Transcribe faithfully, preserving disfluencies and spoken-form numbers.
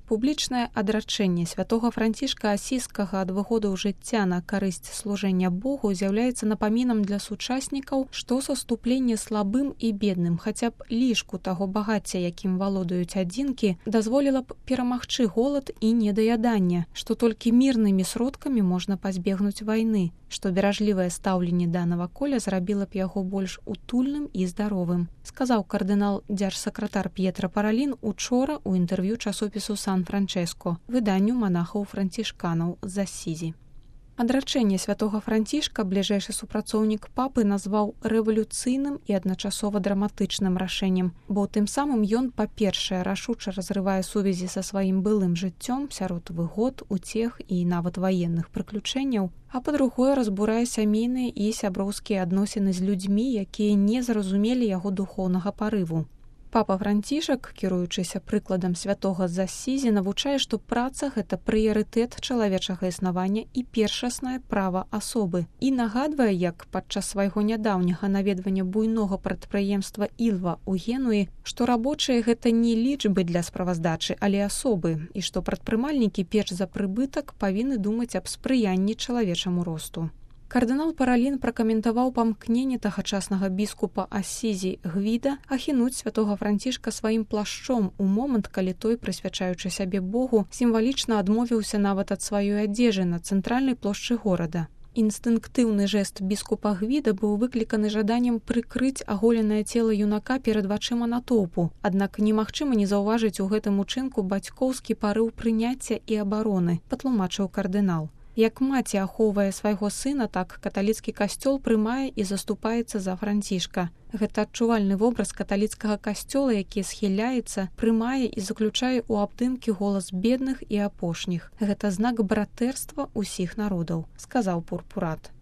Публічнае адрачэнне святога Францішка Асійскага ад выгодаў жыцця на карысць служэння Богу з'яўляецца напамінам для сучаснікаў, што саступленне слабым і бедным, хаця б лішку таго багацця, якім валодаюць адзінкі, дазволіла б перамагчы голад і недаядання, што толькі мірнымі сродкамі можна пазбегнуць вайны, што беражлівае стаўленне да наваколля зрабіла б яго больш утульным і здаровым, сказаў кардынал дзяржсакратар П'етра Паралін учора ў інтэрв'ю часопісу Сан-Франчэско, выданню манахаў-францішканаў з Асізі. Адрачэнне святога Францішка бліжэйшы супрацоўнік папы назваў рэвалюцыйным і адначасова драматычным рашэннем, бо тым самым ён, па-першае, рашуча разрывае сувязі са сваім былым жыццём сярод выгод, уцех і нават ваенных прыключэнняў, а па-другое, разбурае сямейныя і сяброўскія адносіны з людзьмі, якія не зразумелі яго духоўнага парыву. Папа Францішак, кіруючыся прыкладам святога з Асізі, навучае, што праца – гэта прыярытэт чалавечага існавання і першаснае права асобы. І нагадвае, як падчас свайго нядаўняга наведвання буйнога прадпрыемства Ілва ў Генуі, што рабочыя – гэта не лічбы для справаздачы, але асобы, і што прадпрымальнікі перш за прыбытак павінны думаць аб спрыянні чалавечаму росту. Кардынал Паралін пракаментаваў памкненне тагачаснага біскупа Асізі Гвіда ахінуць святога Францішка сваім плашчом у момант, калі той, прысвячаючы сябе Богу, сімвалічна адмовіўся нават ад сваёй адзежы на цэнтральнай плошчы горада. Інстынктыўны жэст біскупа Гвіда быў выкліканы жаданнем прыкрыць аголенае цела юнака перад вачыма натоўпу, аднак немагчыма не заўважыць у гэтым учынку бацькоўскі парыў прыняцця і абароны, патлумачыў кардынал. Як маці ахоўвае свайго сына, так каталіцкі касцёл прымае і заступаецца за Францішка. Гэта адчувальны вобраз каталіцкага касцёла, які схіляецца, прымае і заключае ў абдымкі голас бедных і апошніх. Гэта знак братэрства ўсіх народаў, сказаў Пурпурат.